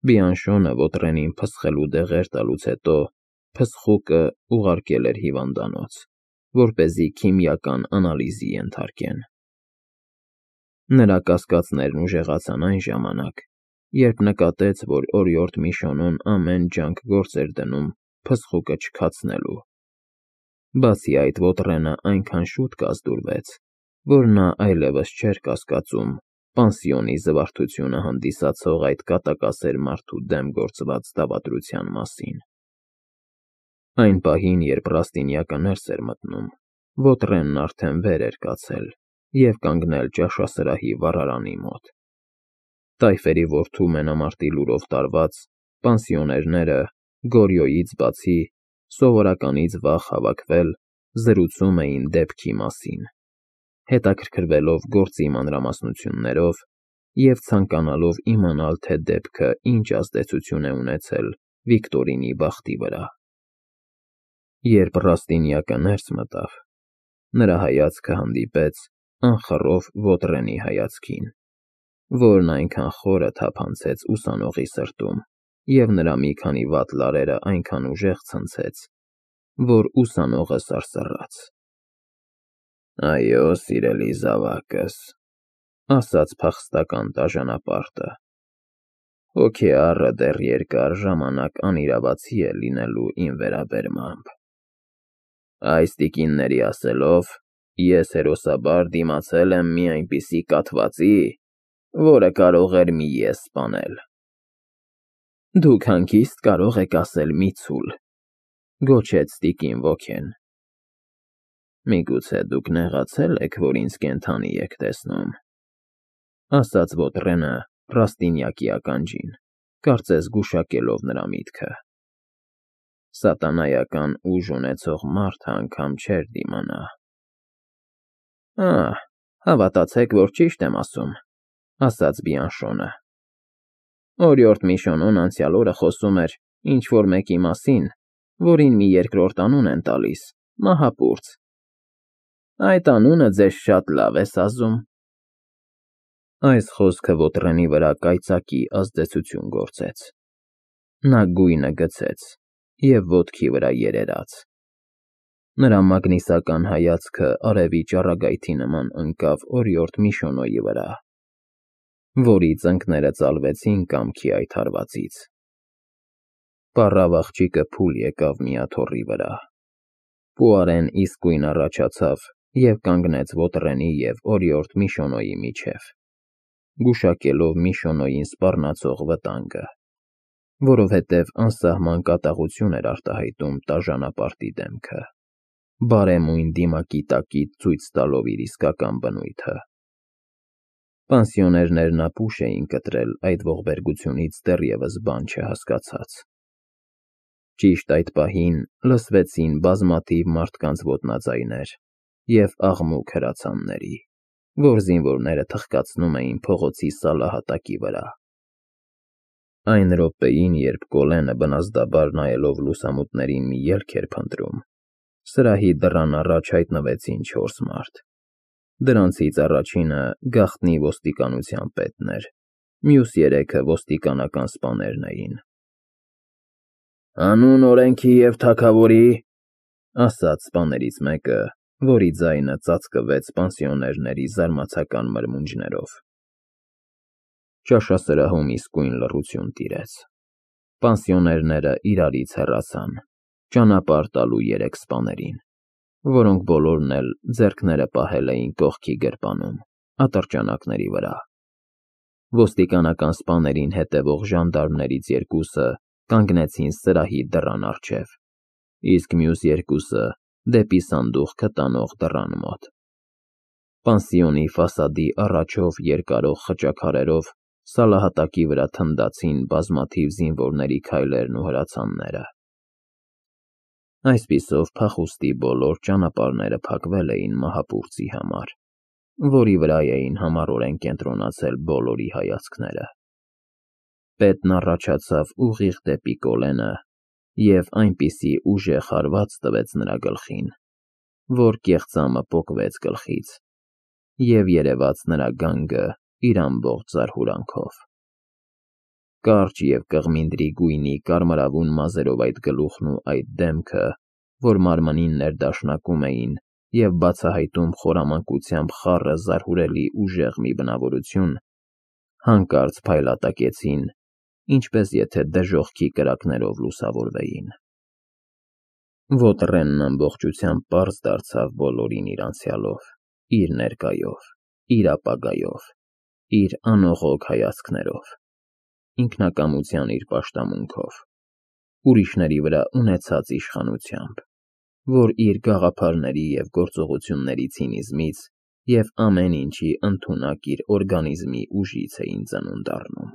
Բիանշոնը ոտռենին փսխելու դեղեր տալուց հետո փսխուկը ուղարկել էր հիվանդանոց, որպեսզի քիմիական անալիզի ենթարկեն։ Նրա կասկածներն ուժեղացան այն ժամանակ, երբ նկատեց, որ օրիորդ Միշոնոն ամեն ջանք գործ էր դնում փսխուկը չքացնելու։ Բացի այդ, ոտռենը այնքան շուտ կազդուրվեց, որ նա այլևս չէր կասկածում պանսիոնի զվարթությունը հանդիսացող այդ կատակասեր մարդու դեմ գործված դավադրության մասին։ Այն պահին, երբ Ռաստինյակը ներս էր մտնում, ոտռենն արդեն վեր էր կացել և կանգնել ճաշասրահի վառարանի մոտ։ Տայֆերի որդու մենամարտի լուրով տարված, պանսիոներները, Գորյոյից բացի, սովորականից վաղ հավաքվել, զրուցում էին դեպքի մասին, հետաքրքրվելով գործի մանրամասնություններով և ցանկանալով իմանալ, թե դեպքը ինչ ազդեցություն է ունեցել Վիկտորինի բախտի վրա։ Երբ Ռաստինյակը ներս մտավ, նրա հայացքը հանդիպեց անխռով ոտռենի հայացքին, որն այնքան խորը թափանցեց ուսանողի սրտում և նրա մի քանի վատ լարերը այնքան ուժեղ ցնցեց, որ ուսանողը սարսռաց։ «Այո, սիրելի զավակս,֊ ասաց փախստական տաժանապարտը,֊ հոգեառը դեռ երկար ժամանակ անիրավացի է լինելու իմ վերաբերմամբ։ Այս տիկինների ասելով, ես հերոսաբար դիմացել եմ մի այնպիսի կաթվածի, որը կարող էր մի ես սպանել»։ «Դուք հանգիստ կարող եք ասել մի ցուլ,֊ գոչեց տիկին Ոքեն։ Միգուցե դուք նեղացել եք, որ ինձ կենդանի եք տեսնում,֊ ասաց ոտռենը Ռաստինյակի ականջին, կարծես գուշակելով նրա միտքը։ Սատանայական ուժ ունեցող մարդը անգամ չէր դիմանա։ «Ահ, հավատացեք, որ ճիշտ եմ ասում,֊ ասաց Բիանշոնը։ Օրիորդ Միշոնոն անցյալ օրը խոսում էր ինչ-որ մեկի մասին, որին մի երկրորդ անուն են տալիս՝ Մահապուրց։ Այդ անունը ձեզ շատ լավ է սազում»։ Այս խոսքը ոտռենի վրա կայծակի ազդեցություն գործեց։ Նա գույնը գցեց և ոտքի վրա երերաց։ Նրա մագնիսական հայացքը արևի ճառագայթի նման ընկավ օրիորդ Միշոնոյի վրա, որի ծնկները ծալվեցին կամքի այդ հարվածից։ Պառավ աղջիկը փուլ եկավ մի աթոռի վրա։ Պուարեն իսկույն առաջացավ և կանգնեց ոտռենի և օրիորդ Միշոնոյի միջև, գուշակելով Միշոնոյին սպառնացող վտանգը, որովհետև անսահման կատաղություն էր արտահայտում տաժանապարտի դեմքը, բարեմույն դիմակի տակից ցույց տալով իր իսկական բնույթը։ Պանսիոներներն ապուշ էին կտրել այդ ողբերգությունից դեռևս բան չհասկացած։ Ճիշտ այդ պահին լսվեցին բազմաթիվ մարդկանց ոտնաձայներ և աղմուկ հրացանների, որ զինվորները թխկացնում էին փողոցի սալահատակի վրա։ Այն րոպեին, երբ Կոլենը բնազդաբար նայելով լուսամուտներին մի ելք էր փնտրում, սրահի դռան առաջ հայտնվեցին 4 մարդ։ Դրանցից առաջինը գաղտնի ոստիկանության պետն էր, մյուս 3-ը ոստիկանական սպաներն էին։ «Հանուն օրենքի և թագավորի,֊ ասաց սպաներից մեկը, որի ձայնը ծածկվեց պանսիոներների զարմացական մրմունջներով։ Ճաշասրահում իսկույն լռություն տիրեց։ Պանսիոներները իրարից հեռացան, ճանապարհ տալու 3 սպաներին, որոնք բոլորն էլ ձեռքները պահել էին կողքի գրպանում, ատրճանակների վրա։ Ոստիկանական սպաներին հետևող ժանդարմներից 2-ը կանգնեցին սրահի դռան առջև, իսկ մյուս 2-ը դեպի սանդուղքը տանող դռան մոտ։ Պանսիոնի ֆասադի առաջով երկարող խճաքարերով սալահատակի վրա թնդացին բազմաթիվ զինվորների քայլերն ու հրացանները։ Այսպիսով փախուստի բոլոր ճանապարհները փակվել էին Մահապուրծի համար, որի վրա էին համառորեն կենտրոնացել բոլորի հայացքները։ Պետն առաջացավ ուղիղ դեպի Կոլենը և այնպիսի ուժեղ հարված տվեց նրա գլխին, որ կեղծամը պոկվեց գլխից և երևաց նրա գանգը իր ամբողջ զարհուրանքով։ Կարճ և կղմինդրի գույնի կարմրավուն մազերով այդ գլուխն ու այդ դեմքը, որ մարմնին ներդաշնակում էին և բացահայտում խորամանկությամբ խառը զարհուրելի ուժեղ մի բնավորություն, հանկարծ փայլատակեցին, ինչպես եթե դժոխքի կրակներով լուսավորվեին։ Ոտրենն ամբողջությամբ պարզ դարձավ բոլորին իր անցյալով, իր ներկայով, իր ապագայով, իր անողոք հայացքներով, ինքնակամության իր պաշտամունքով, ուրիշների վրա ունեցած իշխանությամբ, որ իր գաղափարների և գործողությունների ցինիզմից և ամեն ինչի ընդունակ իր օրգանիզմի ուժից էին ծնունդ առնում։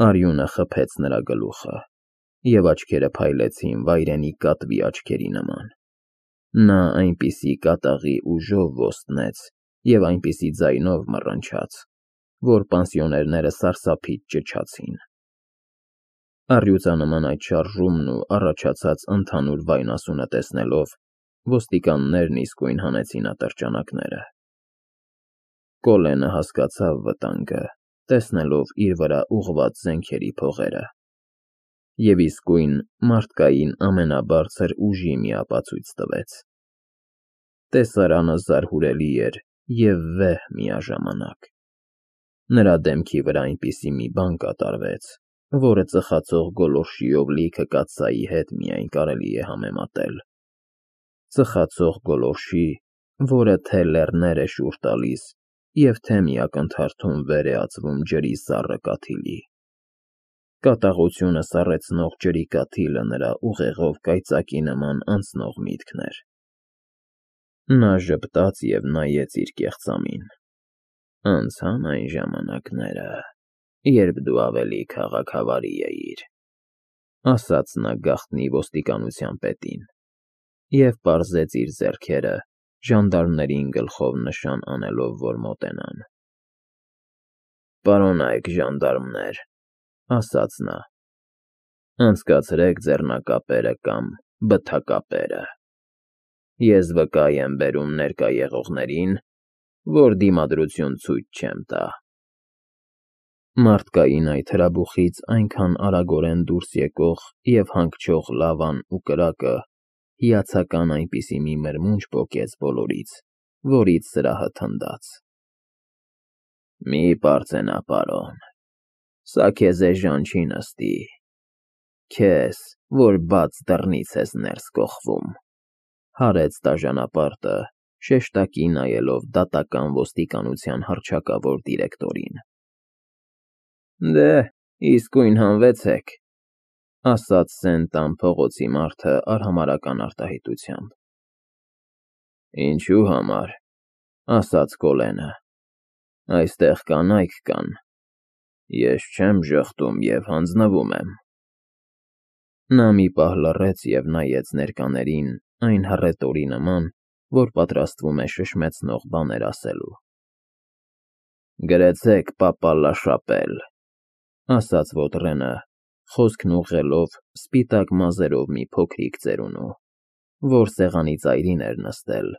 Արյունը խփեց նրա գլուխը, և աչքերը փայլեցին վայրենի կատվի աչքերի նման։ Նա այնպիսի կատաղի ուժով ոստնեց և այնպիսի ձայնով մռնչաց, որ պանսիոներները սարսափից ճչացին։ Առյուծանման այդ շարժումն ու առաջացած ընդհանուր վայնասունը տեսնելով, ոստիկաններն իսկույն հանեցին ատրճանակները։ Կոլենը հասկացավ վտանգը, տեսնելով իր վրա ուղղված զենքերի փողերը, և իսկույն մարդկային ամենաբարձր ուժի մի ապացույց տվեց։ Տեսարանը զարհուրելի էր և վեհ միաժամանակ։ Նրա դեմքի վրա այնպիսի մի բան կատարվեց, որը ծխացող գոլորշիով լիքը կաթսայի հետ միայն կարելի է համեմատել։ Ծխացող գոլորշի, որը թե լեռներ է շուռ տալիս և թե մի ակնթարթում վեր է ածվում ջրի սառը կաթիլի։ Կատաղությունը սառեցնող ջրի կաթիլը նրա ուղեղով կայծակի նման անցնող միտքն էր։ Նա ժպտաց և նայեց իր կեղծամին։ Անցան այն ժամանակները, երբ դու ավելի քաղաքավարի էիր, ասաց նա գաղտնի ոստիկանության պետին, և պարզեց իր ձեռքերը, ժանդարմներին գլխով նշան անելով, որ մոտենան։ Պարոնայք ժանդարմներ, ասաց նա, անցկացրեք ձեռնակապերը կամ բթակապերը։ Ես վկա եմ բերում ներկա եղողներին, որ դիմադրություն ցույց չեմ տա։ Մարդկային այդ հրաբուխից այնքան արագորեն դուրս եկող և հանգչող լավան ու կրակը հիացական այնպիսի մի մրմունջ պոկեց բոլորից, որից սրահը թնդաց։ Մի պարծենա, պարոն, սա քեզ էժան չի նստի, քեզ, որ բաց դռնից ես ներս կոխվում, հարեց տաժանապարտը, շեշտակի նայելով դատական ոստիկանության հռչակավոր դիրեկտորին։ Դե, իսկույն հանվեցեք, ասաց Սեն-Տան փողոցի մարդը արհամարհական արտահայտությամբ։ Ինչու համար, ասաց Կոլենը, այստեղ կանայք կան, ես չեմ ժխտում և հանձնվում եմ։ Նա մի պահ լռեց և նայեց ներկաներին այն հռետորի նման, որ պատրաստվում է շշմեցնող բաներ ասելու։ Գրեցեք պապա Լաշապել, ասաց Ոտրենը, խոսքն ուղղելով սպիտակ մազերով մի փոքրիկ ծերունու, որ սեղանի ծայրին էր նստել,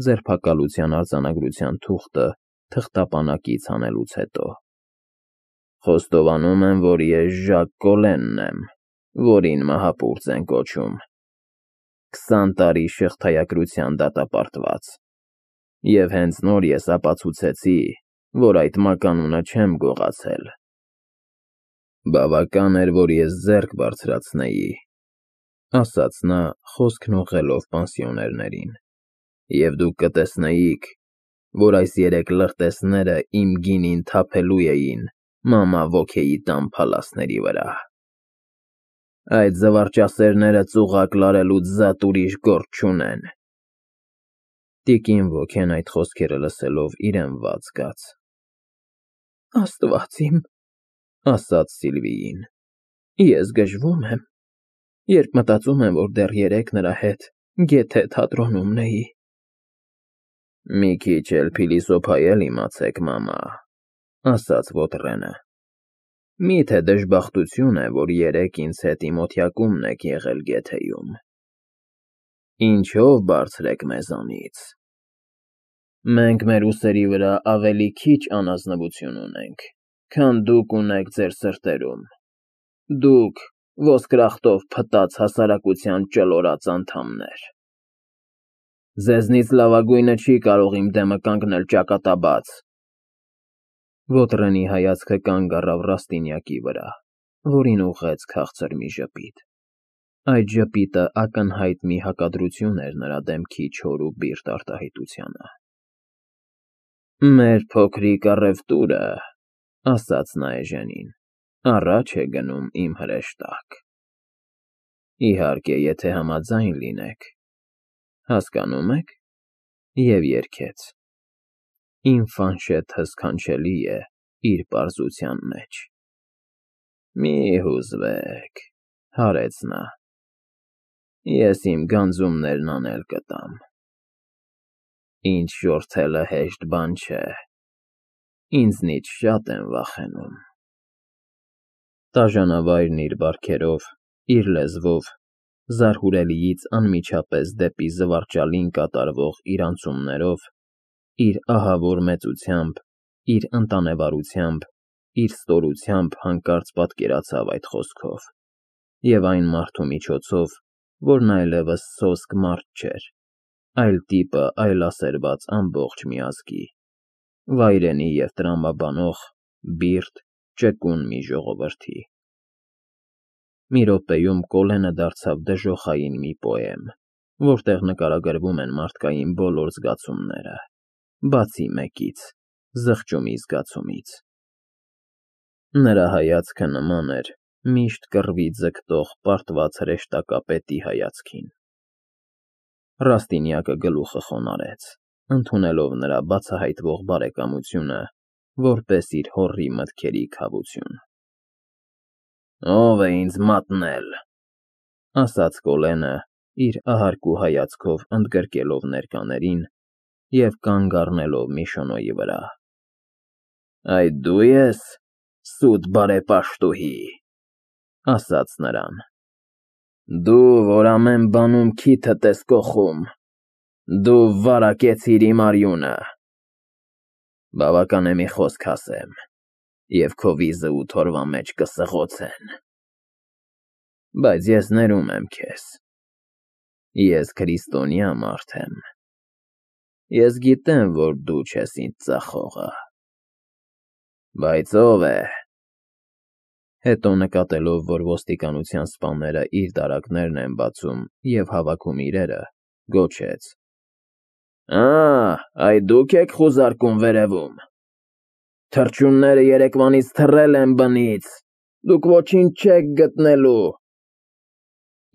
ձերբակալության արձանագրության թուղթը թղթապանակից հանելուց հետո։ Խոստովանում եմ, որ ես Ժակ Կոլենն եմ, որին մահապուրծ են կոչում, 20 տարի շղթայակրության դատապարտված, և հենց նոր ես ապացուցեցի, որ այդ մականունը չեմ գողացել։ Բավական էր, որ ես ձեռք բարձրացնեի, ասաց նա, խոսքն ուղղելով պանսիոներներին, և դուք կտեսնեիք, որ այս 3 լրտեսները իմ գինին թափելու էին մամա Վոքեի տան փալասների վրա։ Այդ զվարճասերները ծուղակ լարելուց զատ ուրիշ գործ չունեն։ Տիկին Վոքեն այդ խոսքերը լսելով իրեն վատ զգաց։ Աստված իմ, ասաց Սիլվիին, ես գժվում եմ, երբ մտածում եմ, որ դեռ երեկ նրա հետ գեթե թատրոնում նեի։ Մի քիչ էլ փիլիսոփայել իմացեք, մամա, ասաց Ոտրենը։ Մի՞թե դժբախտություն է, որ երեկ ինձ հետ իմ օթյակումն եք եղել Գեթեյում։ Ինչո՞վ բարձր եք մեզանից։ Մենք մեր ուսերի վրա ավելի քիչ անազնվություն ունենք, քան դուք ունեք ձեր սրտերում։ Դուք ոսկրախտով փտած հասարակության ճլորած անդամներ։ Ձեզնից լավագույնը չի կարող իմ դեմը կանգնել ճակատաբաց։ Ոտրենի հայացքը կանգ առավ Ռաստինյակի վրա, որին ուղղեց քաղցր մի ժպիտ։ Այդ ժպիտը ակնհայտ մի հակադրություն էր նրա դեմքի չոր ու բիրտ արտահայտությանը։ Մեր փոքրիկ առևտուրը, ասաց նա Էժենին, առաջ է գնում իմ հրեշտակ։ Իհարկե, եթե համաձայն լինեք, հասկանում եք, և երգեց. Իմ ֆանշեթը սքանչելի է իր պարզության մեջ։ Մի հուզվեք, հարեց նա, ես իմ գանձումներն անել կտամ։ Ինչ շորթելը հեշտ բան չէ, ինձնից շատ են վախենում։ Տաժանավայրն իր բարքերով, իր լեզվով, զարհուրելիից անմիջապես դեպի զվարճալին կատարվող իր անցումներով, իր ահավոր մեծությամբ, իր ընտանեվարությամբ, իր ստորությամբ հանկարծ պատկերացավ այդ խոսքով, և այն մարդու միջոցով, որն այլևս սոսկ մարդ չէր, այլ տիպը այլասերված ամբողջ մի ազգի, վայրենի և տրամաբանող, բիրտ, ճկուն մի ժողովրդի։ Մի րոպեում Կոլենը դարձավ դժոխային մի պոեմ, որտեղ նկարագրվում են մարդկային բոլոր զգացումները, բացի մեկից՝ զղջումի զգացումից։ Նրա հայացքը նման էր միշտ կռվի ձգտող պարտված հրեշտակապետի հայացքին։ Ռաստինյակը գլուխը խոնարհեց, ընդունելով նրա բացահայտվող բարեկամությունը որպես իր հոռի մտքերի քավություն։ Ո՞վ է ինձ մատնել, ասաց Կոլենը, իր ահարկու հայացքով ընդգրկելով ներկաներին և կանգ առնելով Միշոնոյի վրա։ Այդ դու ես, սուտ բարեպաշտուհի, ասաց նրան։ Դու, որ ամեն բանում քիթդ ես կոխում, դու վարակեցիր իմ արյունը։ Բավական է մի խոսք ասեմ, և քո վիզը 8 օրվա մեջ կսղոցեն։ Բայց ես ներում եմ քեզ։ Ես քրիստոնյա մարդ եմ։ Ես գիտեմ, որ դու չես ինձ ծախողը։ Բայց ով է։ Հետո նկատելով, որ ոստիկանության սպաները իր դարակներն են բացում և հավաքում իրերը, գոչեց. Այդ դուք եք խուզարկում վերևում։ Թռչունները երեկվանից թռել են բնից, դուք ոչինչ չեք գտնելու։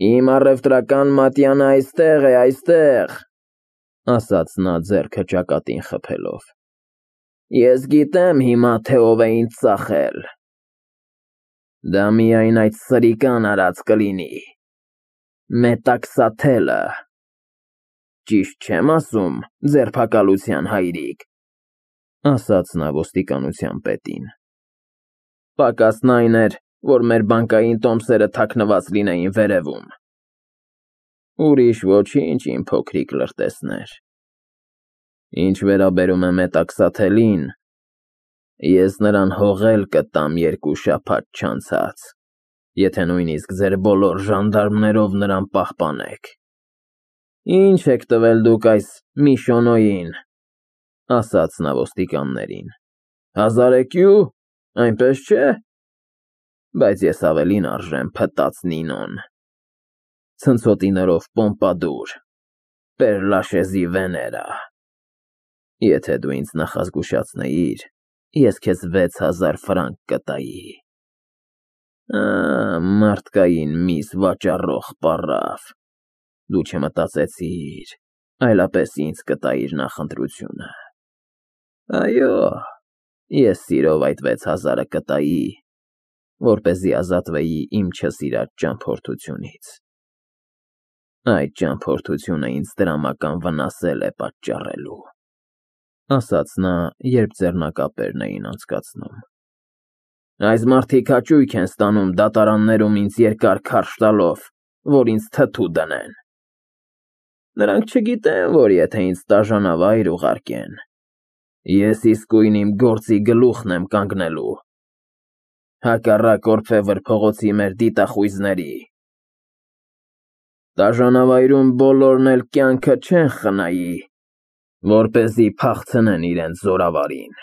Իմ առևտրական մատյանը այստեղ է, այստեղ, ասաց նա ձեռքը ճակատին խփելով։ Ես գիտեմ հիմա, թե ով է ինձ ծախել։ Դա միայն այդ սրիկան արած կլինի։ Մետաքսաթելը։ Ճիշտ չեմ ասում, ձերբակալության հայրիկ, ասաց նա ոստիկանության պետին։ Պակասն այն էր, որ մեր բանկային տոմսերը թաքնված լինեին վերևում։ Ուրիշ ոչինչ, իմ փոքրիկ լրտեսներ։ Ինչ վերաբերում է մետաքսաթելին, ես նրան հողել կտամ 2 շաբաթ չանցած, եթե նույնիսկ ձեր բոլոր ժանդարմներով նրան պահպանեք։ Ինչ եք տվել դուք այս Միշոնոյին, ասաց նա ոստիկաններին։ 1000 էկյու, այնպես չէ։ Բայց ես ավելին արժեմ փտած Նինոն։ Ցնցոտիներով պոմպադուր, Պերլաշեզի Վեներա։ Եթե դու ինձ նախազգուշացնեիր, ես քեզ 6000 ֆրանկ կտայի։ Մարդկային միս վաճառող պառավ։ Դու չմտածեցիր, այլապես ինձ կտայիր նախընտրությունը։ Այո, ես սիրով այդ 6000-ը կտայի, որպեսզի ազատվեի իմ չսիրած ճամփորդությունից։ Այդ ճամփորդությունը ինձ դրամական վնասել է պատճառելու, ասաց նա, երբ ձեռնակապերն էին անցկացնում։ Այս մարդիկ հաճույք են ստանում դատարաններում ինձ երկար քարշ տալով, որ ինձ թթու դնեն։ Նրանք չգիտեն, որ եթե ինձ տաժանավայր ուղարկեն, ես իսկույն իմ գործի գլուխն եմ կանգնելու հակառակ Օրփեվր փողոցի մեր դիտախույզների։ Տաժանավայրում բոլորն էլ կյանքը չեն խնայի, որպեսզի փախցնեն իրենց զորավարին,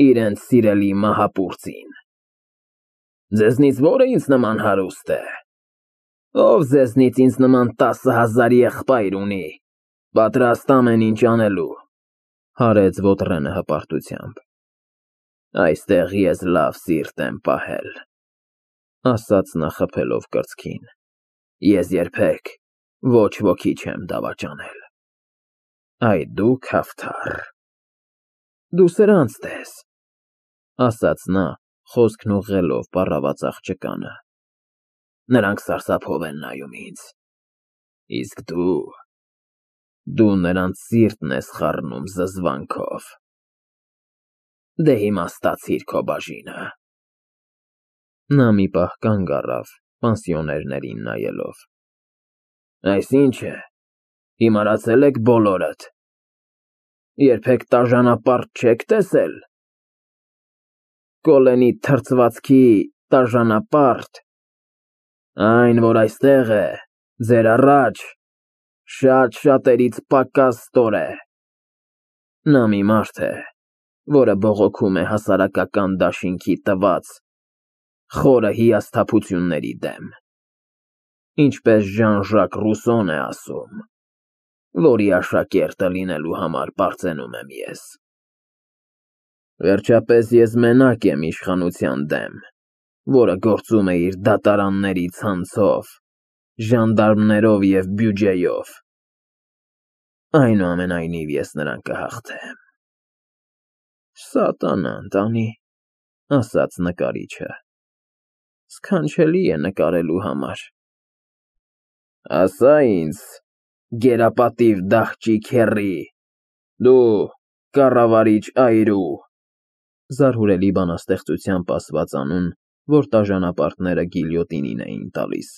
իրենց սիրելի մահապուրծին։ Ձեզնից ո՞րը ինձ նման հարուստ է։ Ով ձեզնից ինձ նման 10,000 եղբայր ունի, պատրաստ ամեն ինչ անելու, հարեց Ոտրենը հպարտությամբ։ Այստեղ ես լավ սիրտ եմ պահել, ասաց նա խփելով կրծքին։ Ես երբեք ոչ ոքի չեմ դավաճանել։ Այ դու քավթառ։ Դու սրանց տես, ասաց նա, խոսքն ուղղելով պառաված աղջկանը։ Նրանք սարսափով են նայում ինձ, իսկ դու նրանց սիրտն ես խառնում զզվանքով։ Դե հիմա ստացիր քո բաժինը։ Նա մի պահ կանգ առավ, պանսիոներներին նայելով։ Այսինչ է, հիմարացել եք բոլորդ։ Երբեք տաժանապարտ չեք տեսել։ Կոլենի թրծվածքի տաժանապարտ, այն, որ այստեղ է, ձեր առաջ, շատ-շատերից պակաս ստոր է։ Նա մի մարդ է, որը բողոքում է հասարակական դաշինքի տված խորը հիասթափությունների դեմ, ինչպես Ժան-Ժակ Ռուսոն է ասում, որի աշակերտը լինելու համար պարծենում եմ ես։ Վերջապես ես մենակ եմ իշխանության դեմ, որը գործում է իր դատարանների ցանցով, ժանդարմներով և բյուջեով։ Այնուամենայնիվ ես նրան կհաղթեմ։ Սատանան տանի, ասաց նկարիչը։ Սքանչելի է նկարելու համար։ Ասա ինձ, գերապատիվ դահճիկ հեռի, դու կառավարիչ այրու, զարհուրելի բանաստեղծությամբ ասված անուն, որ տաժանապարտները գիլյոտինին էին տալիս,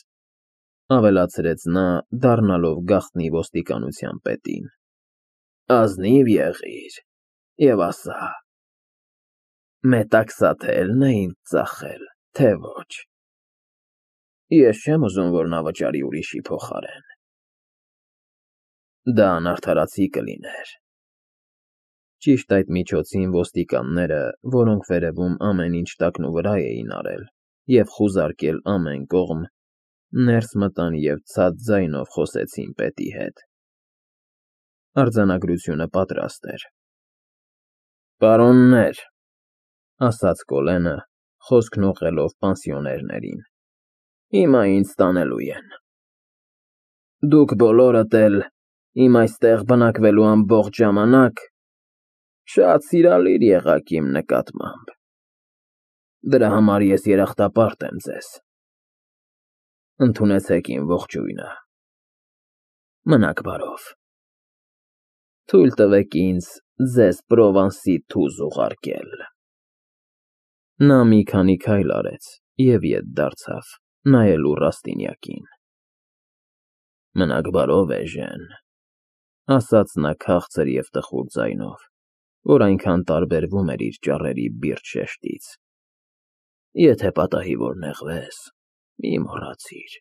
ավելացրեց նա, դառնալով գաղտնի ոստիկանության պետին։ Ազնիվ եղիր և ասա, մետաքսաթելն է ինձ ծախել, թե ոչ։ Ես չեմ ուզում, որ նա վճարի ուրիշի փոխարեն։ Դա անարդարացի կլիներ։ Ճիշտ այդ միջոցին ոստիկանները, որոնք վերևում ամեն ինչ տակնուվրա էին արել և խուզարկել ամեն կողմ, ներս մտան և ցած ձայնով խոսեցին պետի հետ։ Արձանագրությունը պատրաստ էր։ Պարոններ, ասաց Կոլենը, խոսքն ուղղելով պանսիոներներին, հիմա ինձ տանելու են։ Դուք բոլորդ էլ իմ այստեղ բնակվելու ամբողջ ժամանակ շատ սիրալիր եղաք իմ նկատմամբ։ Դրա համար ես երախտապարտ եմ ձեզ։ Ընդունեցեք իմ ողջույնը։ Մնաք բարով։ Թույլ տվեք ինձ ձեզ Պրովանսի թուզ ուղարկել։ Նա մի քանի քայլ արեց և ետ դարձավ, նայելու Ռաստինյակին։ Մնաք բարով, Էժեն, ասաց նա քաղցր և տխուր ձայնով, որ այնքան տարբերվում էր իր ճառերի բիրտ շեշտից։ Եթե պատահի որ նեղվես, մի մոռացիր։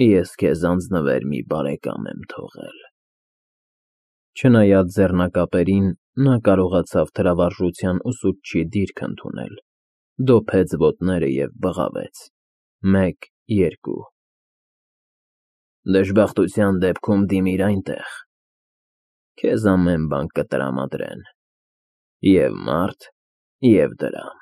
Ես քեզ անձնվեր մի բարեկամ եմ թողել։ Չնայած ձեռնակապերին, նա կարողացավ թրավարժության ուսուցչի դիրք ընդունել, դոփեց ոտները և բղավեց. 1, 2 Դժբախտության դեպքում դիմիր այնտեղ, քեզ ամեն բան կտրամադրեն, և մարդ, և դրամ։